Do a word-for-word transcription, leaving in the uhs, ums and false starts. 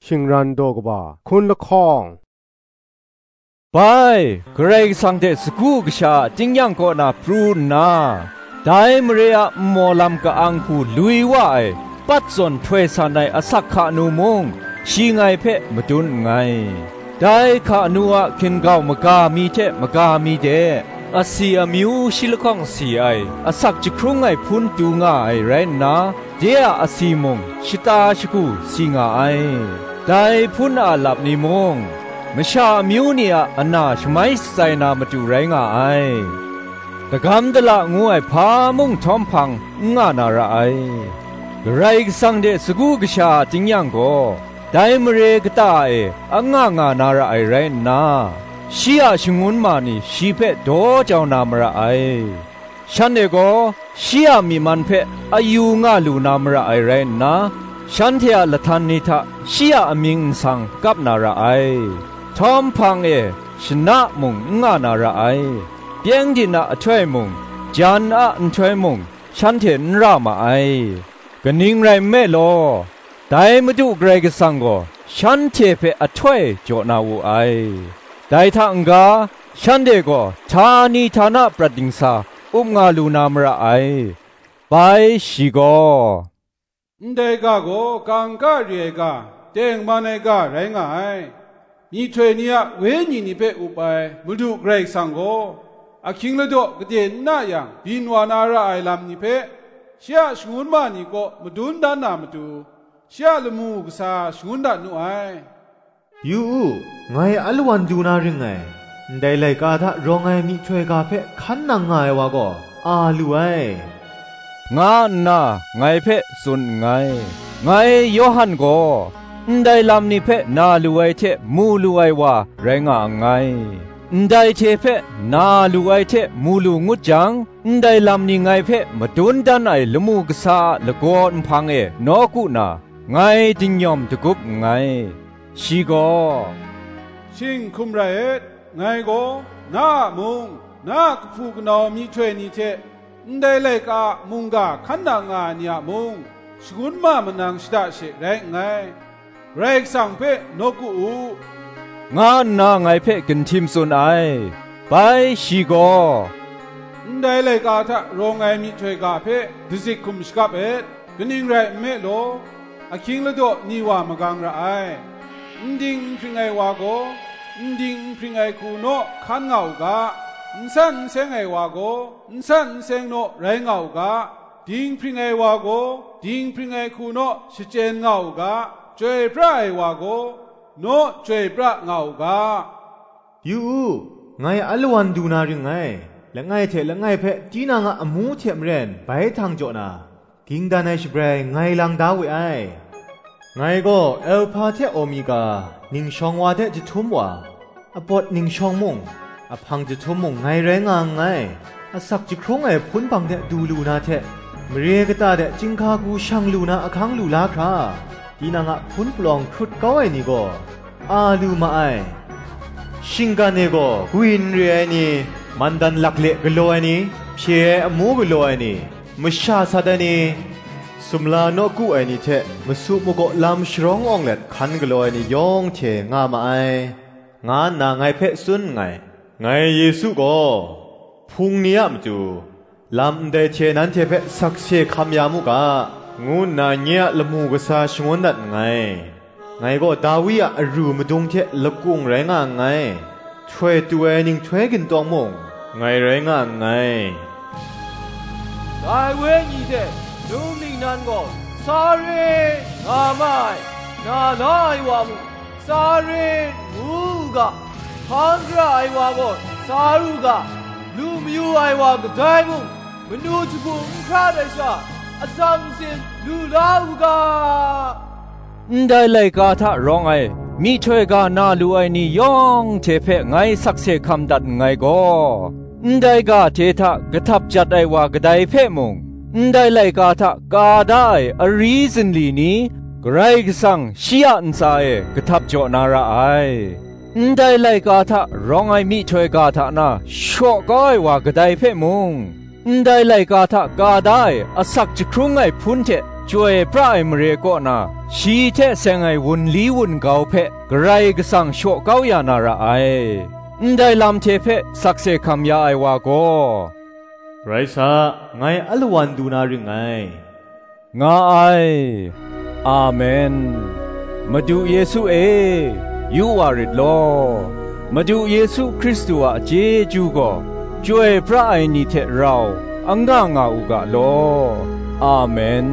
Shingran daw kaba hkun lahkawng. Bai, Karai Kasang hte sagu kasha a tingnyang kaw na pru nna, dai mare a nmaw lam ka-ang hku lui wa ai, pat zawn htoi san ai asak hka nu mung, shi ngai hpe madun nngai. Dai hka nu a hkin-gau maga mi hte maga mi de, asi amyu shi lahkawng si ai, asak jahkrung ai hpun du nga ai rai nna, de a asi mung shata shagu si nga ai. Dai hpun a lap ni mung, masha amyu ni a ana shamai shatsai na matu rai nga ai. Dagam dala ngu ai hpa mung htawm hpang n nga na ra ai. Karai Kasang de sagu kasha a tingnyang gaw, dai mare kata e anga nga na ra ai rai nna, shi a shangun ma ni shi hpe daw jau na mara ai. Shanhte gaw shi a myi man hpe ayu nga lu na mara ai rai nna, shanhte a lahtan ni hta shi a amying nsang kap na ra ai. Htawm hpang e shana mung n nga na ra ai. Pyengdin a ahtoi mung, jan a nhtoi mung, shanhte n ra ma ai. Kaning rai nme law, dai Madu Karai Kasang gaw shanhte hpe ahtoi jaw na wu ai. Dai hta n-ga, shanhte gaw htani htana prat dingsa up nga lu na mara ai. Bai shi gaw, "Ndai ga gaw kangka re ai ga, tengman ai ga rai nga ai. Myihtoi ni a wenyi ni hpe up ai Madu Karai Kasang gaw, ahkying ladaw gade n na yang byin wa na ra ai lam ni hpe, shi a shangun ma ni kaw madun dan na matu, shi a lamu kasa shangun dat nu ai. Yu u, ngai alawan du na ring ngai, ndai laika hta rawng ai myihtoi ga hpe hkan nang nga ai wa gaw, a lu ai," nga nna ngai hpe tsun nngai. Ngai Yawhan gaw, ndai lam ni hpe na lu ai hte mu lu ai wa rai nga nngai. Ndai hte hpe na lu ai hte mu lu ngut jang, ndai lam ni ngai hpe madun dan ai lamu kasa a lagaw nhpang e nawku na, ngai dinyawm dagup nngai. Shi gaw, "Shing hkum rai et, ngai gaw na a mung, na a kahpu kanau myihtoi ni hte ndai laika a mungga hkan nang nga ai ni a mung, shangun ma manang shada she rai nngai. Karai Kasang hpe nawku u," nga nna ngai hpe ginhtim tsun ai. Bai shi gaw, "Ndai laika hta rawng ai myihtoi ga hpe dazik hkum shakap et. Kaning rai nme law, ahkying ladaw ni wa magang ra ai. N ding n hpring ai wa gaw, n ding n hpring ai hku naw hkan nga u ga, n san n seng ai wa gaw, n san n seng naw rai nga u ga, dinghpring ai wa gaw, dinghpring ai hku naw shachyen nga u ga, chyoi pra ai wa gaw, naw chyoi pra nga u ga." Yu u, ngai alawan du na ring ngai, langai hte langai hpe tinang a amu hte maren bai htang jaw na, ging dan ai shabrai ngai lang da we ai. Ngai gaw Alhpa hte Omega, ningshawng wa hte jahtum wa, apawt ningshawng mung, ahpang jahtum mung ngai rai nga nngai. Asak jahkrung ai hpun hpang hte du lu na hte, mare kata de chyinghka hku shang lu na ahkang lu la hkra, tinang a hpun palawng hkrut kau ai ni gaw, a lu ma ai. Shinggan e gaw gwi n re ai ni, mandan lakle galaw ai ni, hpye ai amu galaw ai ni, masha sat ai ni, sumla nawku ai ni hte masu magaw lam sharawng awng let hkan galaw ai ni yawng hte nga ma ai, nga nna ngai hpe tsun nngai. Ngai Yesu gaw, hpung ni a matu, lam ndai hte nanhte hpe sakse hkam ya mu ga, ngu nna nye a lamu kasa shangun dat nngai. Ngai gaw Dawi a aru madung hte lakung rai nga nngai, htoi tu ai ninghtoi gintawng mung ngai rai nga nngai. Dai wenyi hte num ningnan gaw, "Sa re," nga ma ai, na la ai wa mung, "Sa re," ngu u ga, hpang gara ai wa gaw, "Sa ru ga," lu mayu ai wa kadai mung, manu jahku n hkrat ai sha, atsam sin lu la u ga. Ndai laika hta rawng ai, myihtoi ga na lu ai ni yawng hte hpe ngai sakse hkam dat nngai gaw, ndai ga hte hta kahtap jat ai wa kadai hpe mung, ndai laika hta ka da ai ari zinli ni, Karai Kasang shi a ntsa e kahtap jaw na ra ai. Ndai laika hta rawng ai myihtoi ga hta na shaw kau ai wa kadai hpe mung, ndai laika hta ka da ai asak jahkrung ai hpun hte chyoi pra ai mare kaw na, shi hte seng ai wunli wungau hpe Karai Kasang shaw kau ya na ra ai. Ndai lam hte hpe sakse hkam ya ai wa gaw, "Rai sa, ngai alawan du na ring ngai," nga ai. Amen. Madu Yesu e, yu wa rit law. Madu Yesu Hkristu a chyeju gaw, chyoi pra ai ni hte rau anga nga u ga law. Amen.